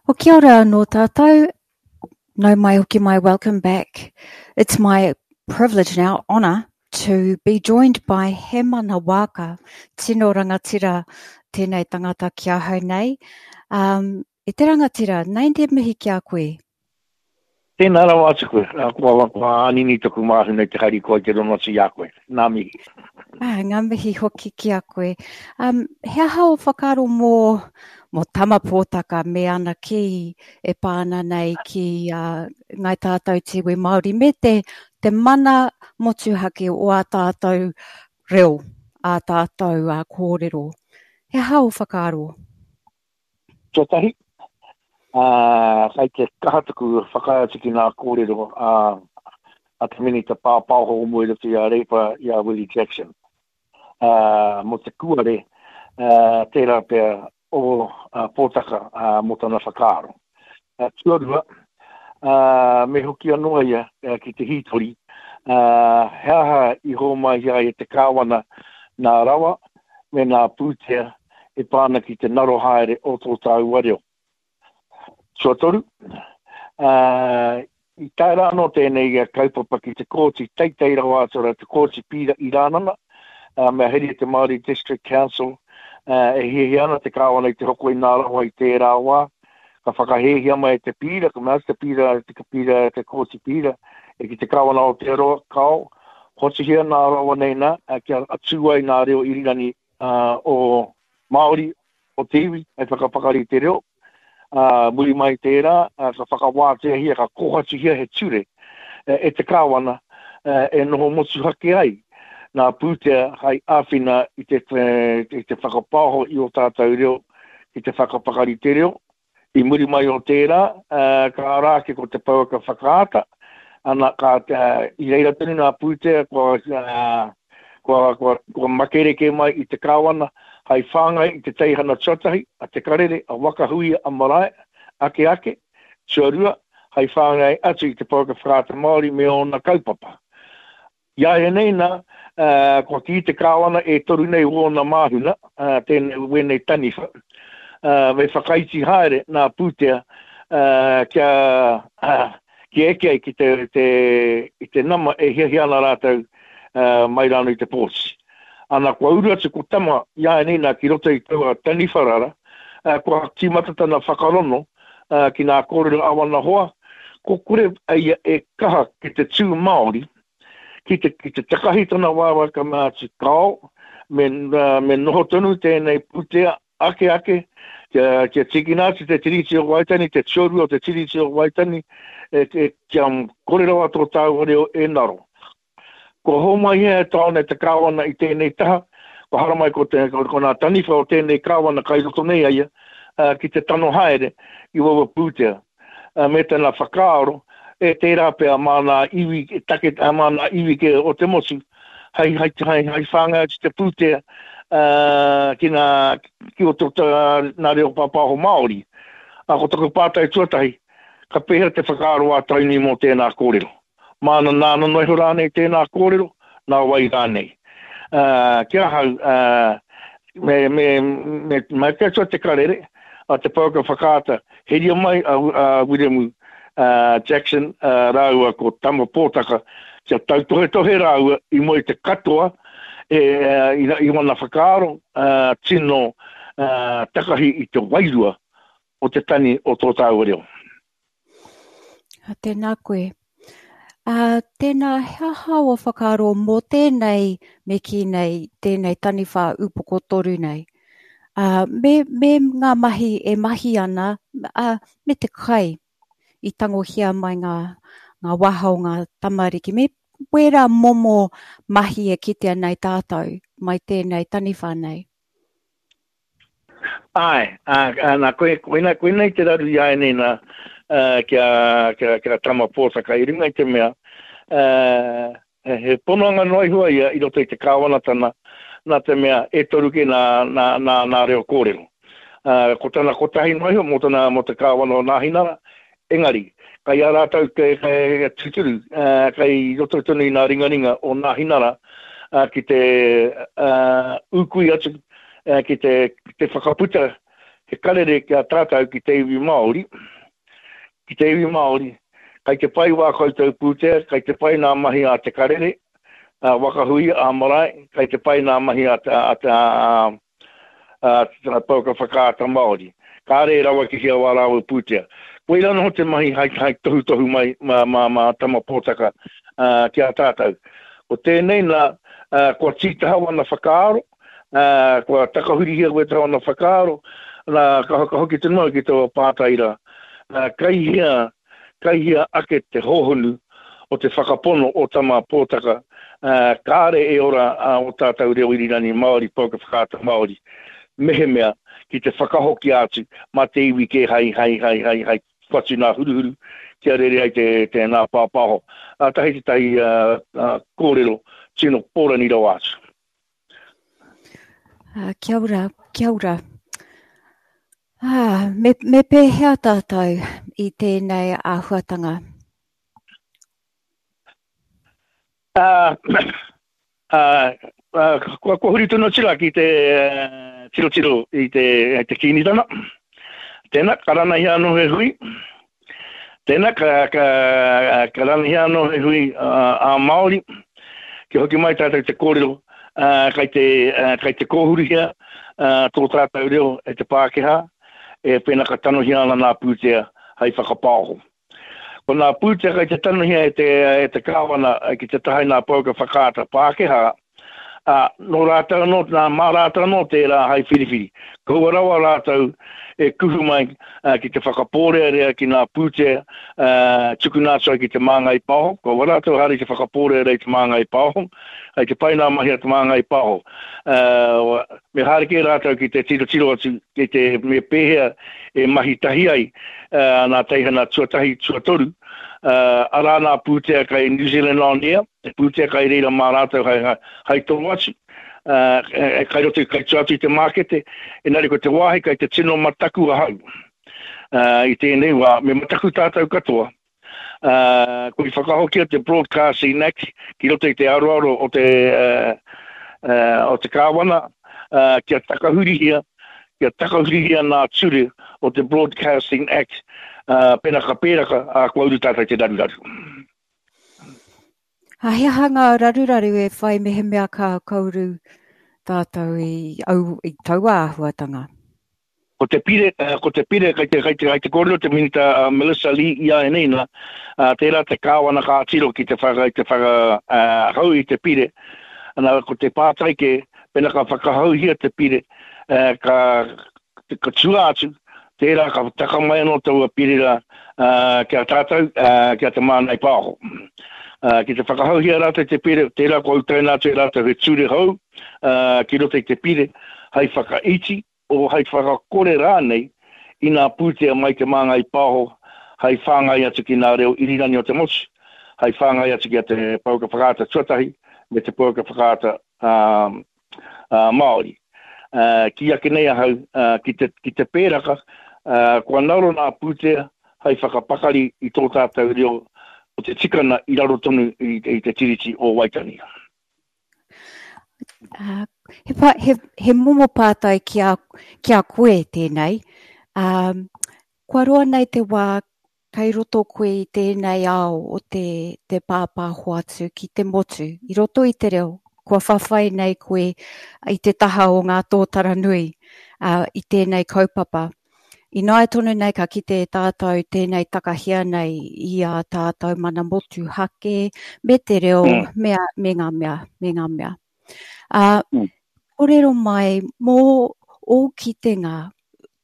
Well, kia ora anō tātou. Nau mai hoki mai, welcome back. It's my privilege now, honour, to be joined by Hemana Waaka, tino rangatira tēnei tangata ki ahau nei. Um, e te rangatira, nei te mihi ki a koe. Tēnā rawa atu koe. Kua, kua ānini taku māhuna i te harikoa i te rono atu i a koe. Ngā mihi. Ah, ngā mihi hoki ki a koe. Um, he aha o whakaaro mō, mō Tama Pōtaka me ana kī e pā ana nei ki uh, ngai tātou te iwi Māori me te, te mana motuhake o ā tātou reo, ā tātou uh, kōrero. He aha o whakaaro? Tuatahi, ā, kai te kaha taku whakaae atu ki ngā kōrero a, a te Minita Pāpāho o mua i roto i a Reipa, i a Willie Jackson, ā, mō te kuare, ā, tērā pea o Pōtaka, ā, mō tana whakaaro. Ā, tuarua, ā, me hoki anō ia ki te hītori, ā, he aha i hōmai ai e te Kāwana nā rawa me nā pūtea e pā ana ki te ngaro haere o tō tāua reo. Tuatoru, ā, i tae rā anō tēnei kaupapa ki te kōti teitei rawa atu rā, te kōti pīra i Rānana, ā, mea heria te Māori District Council, ā, e hiahia ana te kāwana i te hoko i nā rawa i tērā wā, ka whakahēhia mai e te pīra, ka mea atu te pīra, te pīra, te kōti pīra, e ki te kāwana o Aotearoa, kao, hotuhia nā rawa nei nā, kia tū ai nā reo irirangi o Māori, o te iwi, hei whakapakari i te reo. Ā, muri mai i tērā, ka whakawāteahia, ka kōhatuhia he ture e te Kāwana e noho motuhake ai nā pūtea hai āwhina i te, i te whakapaoho i ō tātou reo, ki te whakapakari te reo, I muri mai o tērā, ka ara ake ko te pouaka whakaata, ana, ka, i reira tonu ngā pūtea kua, kua, kua, kua makereke mai i te kāwana hai whāngai i te teihana tuatahi, a Te Karere, a Waka Huia, a Marae, ake ake, tuarua, hai whāngai atu i te pouaka whakaata Māori me ōna kaupapa. Iāianei nā, kua kī te Kāwana e toru nei wōna māhuna, tēnei, wēnei taniwha, me whakaiti haere nā pūtea kia, kia eke ai ki te, te, i te nama e hiahia ana rātou mai rānō i te pōti. Ana, kua uru atu ko Tama iāianei nā ki roto i taua taniwha rara, kua tīmata tana whakarono ki nā kōrero a wana hoa, ko kore a ia e kaha ki te tū Māori, ki te, ki te takahi tana waewae ka mea atu, Kao, me, me noho tonu tēnei pūtea ake ake, kia, kia tīkina atu te Tiriti o Waitangi, te tuarua o te Tiriti o Waitangi, e, e, kia kore rawa tō tāua reo e ngaro. Kua hōmai hea e taone te kāwana i tēnei taha, kua haramai ko, te, ko, ko nā taniwha o tēnei kāwana kai roto nei a ia, ki te tano haere i waua pūtea. Me tana whakaaro, e tērā pea mā nā iwi, take, mā nā iwi kē o te motu, hei, hei, hei, hei whāngai atu te pūtea ki nā, ki roto nā reo pāpāho Māori. Ko taku pātai tuatahi, ka pēhea te whakaaro a Tainui mō tēnā kōrero? Māna nāna noa iho rānei tēnā kōrero, nā wai rānei. Ā, ki ahau, ā, me, me, me, me te atua te karere, a te pouaka whakaata, heria mai a, a Wiremu ā, Jackson ā, rāua ko Tama Pōtaka, kia tautohetohe rāua i mua i te katoa, e, i, i wana whakaaro, ā, tino ā, takahi i te wairua o te tani o tō tāua reo. Tēnā koe. Uh, tēnā, he aha o whakaaro mō tēnei, me kī nei, tēnei taniwha upoko toru nei? Uh, me, me ngā mahi e mahi ana, uh, me te kai i tangohia mai ngā, ngā waha o ngā tamariki, me wērā momo mahi e kitea nei tātou mai tēnei taniwha nei. Āe, ā, ā, nā, koe, koina, koinei te raru i āianei nā, ā, ki a, ki a, ki a Tama Pōtaka i runga i te mea, ā, he, he pononga noa iho a ia i roto i te kāwanatana, nā te mea e toru kē nā, nā, nā, nā reo kōrero. Ā, ko tana kotahi noa iho mō tana, mō te kāwana o Nāhinara, engari, kai a rātou te, te tūturu, ā, kai roto tonu i nā ringaringa o Nāhinara, ā, ki te, ā, ūkui atu, ki te, te whakaputa He karere ki a tātou ki te iwi Māori, ki te iwi Māori, kai te pai wā koutou pūtea, kai te pai nā mahi a te karere, a Waka Huia, a Marae, kai te pai nā mahi a, a, a, a, a Pouaka Whakaata Māori. Kāre e rawa ki hea wā rāua pūtea. Koirā noho te mahi hai, hai tohutohu mai mā, mā, mā Tama Pōtaka uh, ki a tātou. Ko tēnei nā, uh, kua tītaha wana whakaaro, ā, kua takahurihia koe tāna whakaaro, nā, ka whakahoki tonu au ki taua pātai rā, ā, kai hea, kai hea ake te hōhonu o te whakapono o Tama Pōtaka, ā, kāre e ora ā ō tātou reo irirangi Māori, pouaka whakaata Māori, mehemea ki te whakahokia atu mā te iwi kē hai, hai, hai, hai, hai whatu nā huruhuru kia rere ai te, te nā pāpāho. Ā, tahi tētahi, ā, ā, kōrero tino pōrani rawa atu. Uh, kia ora, kia ora. Ah, me, me pēhea tātou i tēnei āhuatanga? Uh, uh, uh, kua, kua huri tonu atu rā ki te uh, tirotiro i te, i te kīnitanga. Tēnā, ka ranahia anō he hui. Tēnā, ka, ka, ka ranahia anō he hui ā-Māori, kia hoki mai tātou te kōrero, ā, kai te, kai te kōhuruhia tō tātou reo e te Pākehā, e pēnā ka tanohia ana nā pūtea hai whakapaoho. Ko nā pūtea kai te tanohia e te, e te Kāwana ki te taha i nā pouaka whakaata Pākehā, Ā, nō rātou anō, nā, mā rātou anō tērā hai whiriwhiri. Kaua rawa rātou e kuhu mai ki te whakapōrearea ki ngā pūtea tukuna atu ai ki Te Māngai Pāho. Kaua rātou haere ki te whakapōrearea i Te Māngai Pāho. Hai te pai ngā mahi a Te Māngai Pāho. Me haere kē rātou ki te tirotiro atu ki te me pēhea e mahi tahi ai nā teihana tuatahi, tuatoru, arā nā pūtea kai New Zealand On Air, Te pūtea kai reira mā rātou hai, hai, hai toro atu, uh, e, kai roto, kai tua atu i te mākete, engari ko te wāhi kai te tino mataku ahau uh, i tēnei wā, me mataku tātou katoa, uh, ko i whakahokia te Broadcasting Act ki roto i te aroaro o te, uh, uh, o te kāwana, uh, kia takahurihia, kia takahurihia nā ture o te Broadcasting Act, uh, pena ka pēraka, uh, kua uru tātou te raruraru. A he aha ngā raruraru e whai mehemea ka kauru tātou i, au, i taua āhuatanga? Ko te pire, ko te pire, kai te, kai te, kai te kōrero te Minita uh, Melissa Lee i a nei nā, uh, tērā te kāwana ka tiro ki te whaka, te whaka uh, hau i te pire, ana, ko te pātai ke, pena ka whakahauhia te pire, uh, ka, ka tua atu, tērā ka taka mai anō taua pire rā ki a tātou, ki a Te Māngai Pāho. Ki te whakahauhia rātou te pire, tērā kua utaina atu e rātou he ture hou ki roto i te pire hai whakaiti, o hai whakakore rānei i ngā pūtea mai Te Māngai Pāho hai whāngai atu ki ngā reo irirangi o te motu, hai whāngai atu ki a Te Pouaka Whakaata tuatahi me Te Pouaka Whakaata Māori. Kī ake nei ahau, ki te, ki te pēraka, kua ngaro nā pūtea hai whakapakari i tō tātou reo o te tikana i raro tonu i, i te Tiriti o Waitangi. Uh, he, pa, he, he momo pātai ki a, ki a koe tēnei. Um, kua roa nei te wā Kei roto koe i tēnei ao o te, te pāpāho atu ki te motu, i roto i te reo, kua whawhai nei koe i te taha o ngā tōtara nui uh, i tēnei kaupapa. Ināia tonu nei ka kite e tātou tēnei takahia nei i a tātou mana motu hake, me te reo, mm. me, a, me ngā mea, me ngā mea. Uh, mm. Kōrero mai mō ō kitenga,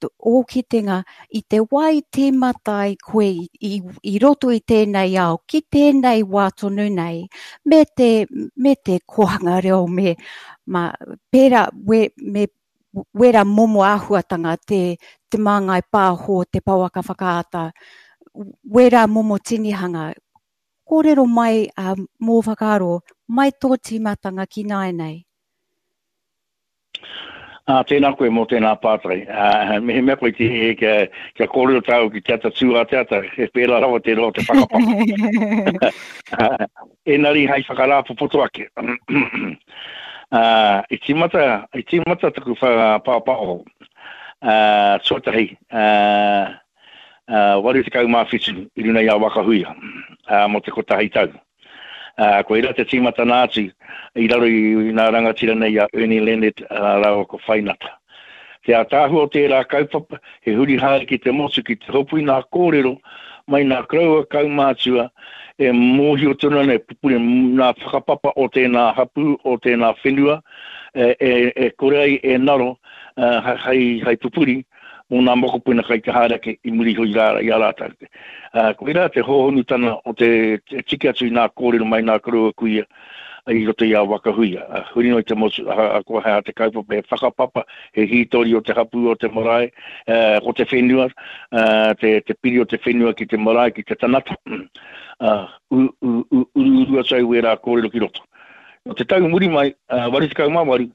ō kitenga i te wā i tīmata ai koe i, i, i roto i tēnei ao, ki tēnei wā tonu nei, me te, me te kōhanga reo, me, ma, pērā, we, me wera momo āhuatanga, te, te māngai pāho, te pouaka whakaata, wera momo tinihanga, Kōrero mai ā, mō whakaaro, mai tō tīmatanga ki nāianei. Ā, tēnā koe mō tēnā pātai. Ā, mehemea koe ki, kia, kia kōrero tāu ki te ata tū a te ata, he pērā rawa te roa o te whakapapa. Engari hai whakarāpopoto ake. Ā, i tīmata, i tīmata taku whakapāpāho. Tuatahi, 87 i runa i a Waka Huia mō te kotahi tau. Koirā te tīmatana atu i raro i nā rangatira nei a Ernie Leonard rāua ko Whainata. Te ātaahua o tērā kaupapa, he huri haere ki te motu ki te hopu i nā kōrero mai nā koroua kaumātua e mōhio tonu ana e pupuri nā whakapapa o tēnā hapū, o tēnā whenua e kore ai e naro hei pupuri mō nā mokopuna kai te haere ake i muri iho i a rātou. Koirā te hōhonutana o te tiki atu i nā kōrero mai nā koroua kuia i roto i a Waka Huia. Huri noa i te motu, ahakoa he aha te kaupapa, he whakapapa, he hītori o te hapū o te marae, ko te whenua, te piri o te whenua ki te marae, ki te tanata, uruuru atu ai wērā kōrero ki roto. Nō te tau muri mai, 88,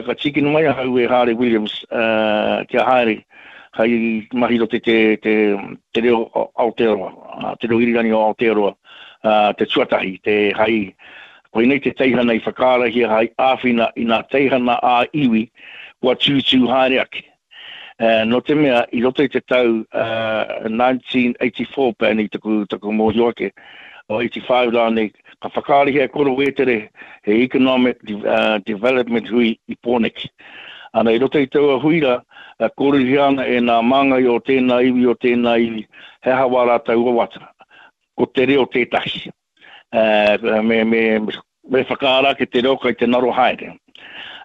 ka tīkina mai ahau e Haare Williams kia haere hei mahi roto i te reo Aotearoa, te reo irirangi o Aotearoa, te tuatahi, te hai, koinei te teihana i whakaarahia hai āwhina i nā teihana ā-iwi kua tūtū haere ake. Nō te mea, i roto i te tau 1984 pea nei taku, taku mōhio ake, o 85 rānei, ka whakaarahia e Koro Wētere he Economic Development hui i Pōneke. Ana, i roto i taua hui rā, kōrerohia ana e nā māngai o tēnā iwi, o tēnā iwi, he aha wā rātou wawata. Ko te reo tētahi. Me, me, me whakaara ake te reo kai te naro haere.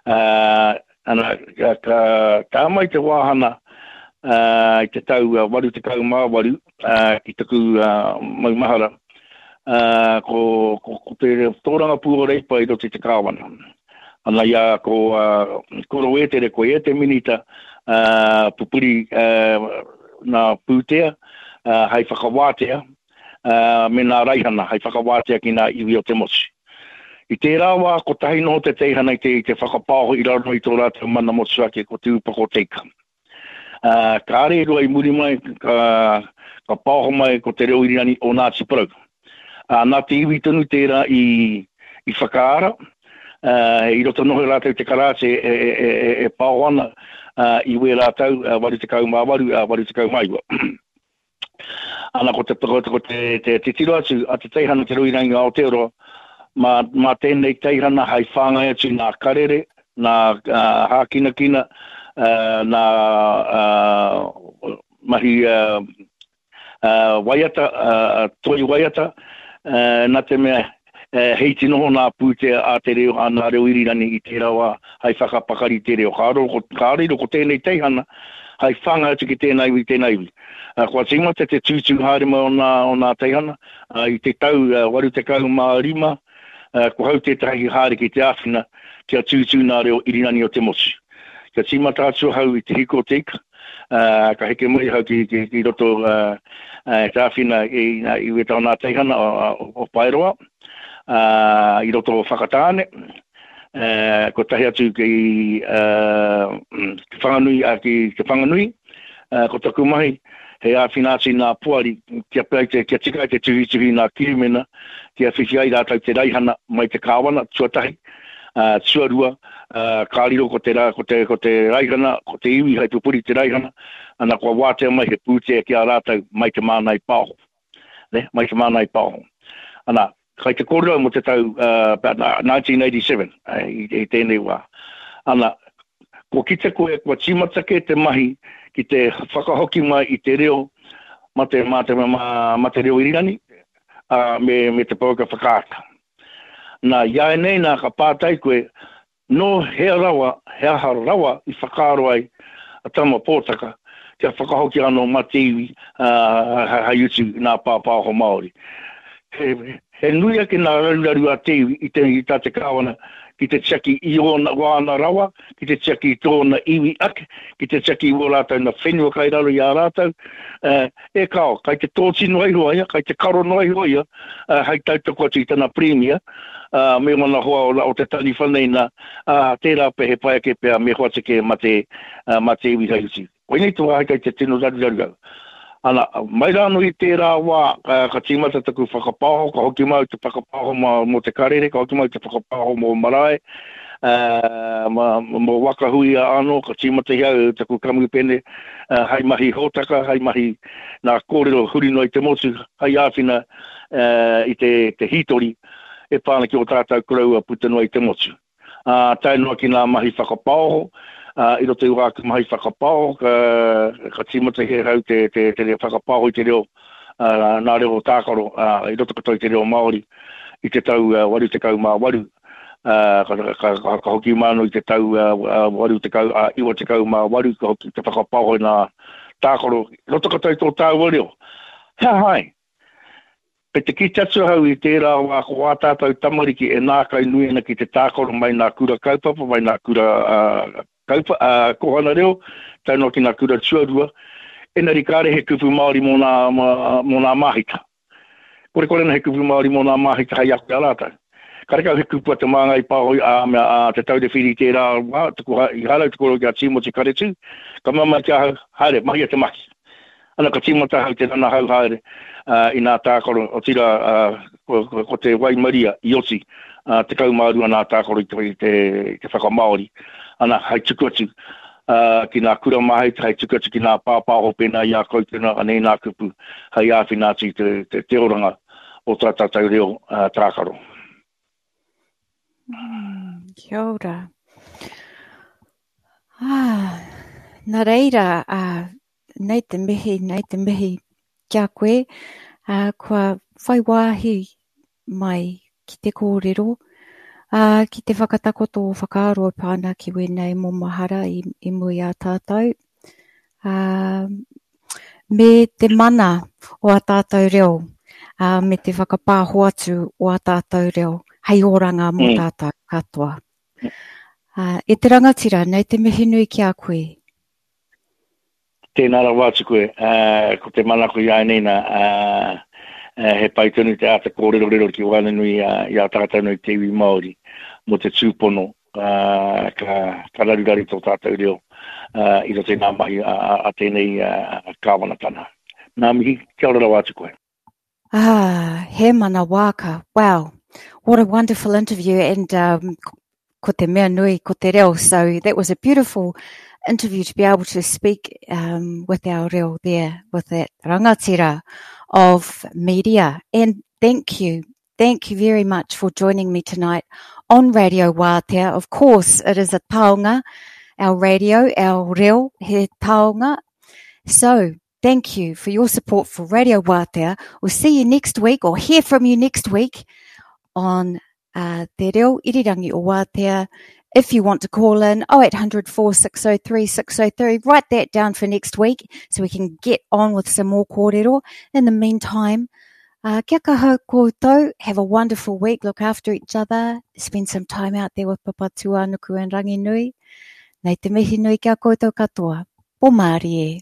Ana, ka, ka, ka mai te wāhana i te tau 88 ki taku maumahara, ko, ko, ko te tōrangapū o Reipa i roto i te kāwana. Ana i a ko Koro Wētere, ko ia te minita pupuri nā pūtea hei whakawātea me nā raihana hei whakawātea ki nā iwi o te motu. I tērā wā, kotahi noho te teihana i te, i te whakapaoho i raro i tō rātou mana motuhake ko Te Ūpoko Teika. Ā, kāre i roa i muri mai ka, ka paoho mai ko te reo irirangi o Ngāti Porou. Ā, nā te iwi tonu tērā i, i whakaara, ā, i roto noho rātou te karāti e, e, e, e, e paoho ana ā, i wērā tau, 88, ā, 89. Ana ko te, ko te, ko te, te titiro atu a te teihana Te Ruirangi o Aotearoa, mā, mā tēnei teihana hai whāngai atu nā karere, nā uh, hākinakina, uh, nā uh, mahi uh, uh, waiata, uh, toi waiata, uh, nā te mea He iti noho nā pūtea a te reo, a nā reo irirangi i tērā wā hai whakapakari te reo. Ka riro, ka riro ko tēnei teihana hai whāngai atu ki tēnā iwi, tēnā iwi. Kua tīmata te tūtū haere mai o nā, o nā teihana, i te tau 85, kua hau tētahi haere ki te āwhina kia tūtū nā reo irirangi o te motu. Kia tīmata atu ahau i te hiko o te ika, ā, ka heke mai ahau ki, ki, ki roto ā, te āwhina i, i wētahi o nā teihana o, o, o Paeroa, ā, i roto o Whakatāne, ā, kotahi atu ki, ā, ki Whanganui, ā, ki Te Whanganui, ā, ko taku mahi, he āwhina atu i nā poari kia pea te, kia tika ai te tuhituhi i nā kirimena, kia whiwhi ai rātou te raihana mai te kāwana, tuatahi, ā, tuarua, ā, ka riro ko te, ko te, ko te raihana, ko te iwi hai pupuri te raihana, ana kua wātea mai he pūtea ki a rātou mai te Mānai Paoho. Ne, mai te Mānai Paoho. Ana, kai te kōrero mō te tau uh, about 1987 i, i tēnei wā. Ana, kua kite koe, kua tīmata kē te mahi ki te whakahoki mai i te reo ma te, ma te, ma, ma te reo irirangi, uh, me, me te pouaka whakaata. Nā, iāianei nā ka pātai koe, nō hea rawa, he aha rawa i whakaaro ai a Tama Pōtaka kia whakahoki anō mā te iwi hai utu i nā pāpāho Māori. He, he nui ake nā raruraru a te iwi i, te, i tā te kāwana ki te tiaki i ōna, wāna rawa, ki te tiaki i tōna iwi ake, ki te tiaki i wō rātou na whenua kai raro i a rātou, E kāo, kai te tōti noa iho a ia, kai te karo noa iho ia, hei tautoko atu i tana pirimia, me wana hoa o, o te taniwha nei nā, ā, tērā pea he pai ake pea me hoatu kē mā te, mā te iwi hei utu. Koinei te wāhi kai te tino raruraru au. Ana, mai rā anō i tērā wā, ka, ka tīmata taku whakapaoho, ka hoki mai te whakapaoho mā, mō te karere, ka hoki mai te whakapaoho mō marae, Mō Waka Huia anō, ka tīmatahia au taku kamupene hai mahi hōtaka, hai mahi nā kōrero huri noa i te motu, hai āwhina i te hītori e pā ana ki ō tātou koroua puta noa i te motu. Ā, tae noa ki ngā mahi whakapaoho, ā, i roto i wāku mahi whakapaoho, ka, ka tīmatahia ahau te, te, te whakapaoho i te reo, ā, nā reo tākaro, ā, i roto katoa i te reo Māori i te tau 88, ā, ka, ka, ka, ka hoki mai anō i te tau 80, ā, 98, ka hoki te whakapaoho i ngā tākaro, i roto katoa i tō tāua reo. He aha ai? Kei te kite atu ahau i tērā wā ko ā tātou tamariki e nākau nui ana ki te tākaro mai nā kura kaupapa, mai nā kura kaupa, kōhanga reo, tae noa ki nā kura tuarua, engari kāre he kupu Māori mō nā, mō nā māhita. Korekore ana he kupu Māori mō nā māhita hei ako i a rātou. Karekau he kupu a Te Māngai Pāho ā, mea, a Te Taura Whiri i tērā wā, tuku, i haere au te kōrero ki a Tīmoti Karetū, ka mea mai ki ahau, haere, mahia te mahi. Ana ka tīmata ahau te ranahau haere i nā tākaro, otirā ko te waimaria i oti 12 nā tākaro i te whakamāori, ana hai tuku atu ki nā kura māhita, hai tuku atu ki nā pāpāho pēnā i a koutou nā, anei nā kupu hai āwhina atu i te oranga o tā tātou reo tākaro. Mm, kia ora. Ah, nā reira, ah, nei te mihi, nei te mihi ki a koe, ā, kua whai wāhi mai ki te kōrero, ā, ki te whakatakoto o whakaaro e pā ana ki wēnei momo hara i, i mua i a tātou, ā, me te mana o ā tātou reo, ā, me te whakapāho atu o ā tātou reo hei oranga mō mm. tātou katoa. Ā, e te rangatira, nei te mihi nui ki a koe. Tēnā rawa atu koe, ko te manako i āianei nā, he pai tonu te āta kōrerorero ki waenganui i a tātou nei te iwi Māori mō te tūpono ka, ka raruraru tō tātou reo i roto i ngā mahi a tēnei kāwanatanga. Ngā mihi, kia ora rawa atu koe. Ah, he mana wāka. Wow. What a wonderful interview and um, ko te mea nui, ko te reo. So that was a beautiful interview to be able to speak um, with our reo there, with that rangatira of media. And thank you. Thank you very much for joining me tonight on Radio Wātea. Of course, it is a taonga, our radio, our reo, he taonga. So, thank you for your support for Radio Wātea. We'll see you next week or hear from you next week on uh, Te Reo Irirangi o Wātea. If you want to call in 0800 4603 603, write that down for next week so we can get on with some more kōrero. In the meantime, uh, kia kaha koutou. Have a wonderful week. Look after each other. Spend some time out there with Papatūānuku and Ranginui. Nei te mihi nui kia koutou katoa. Pō mārie.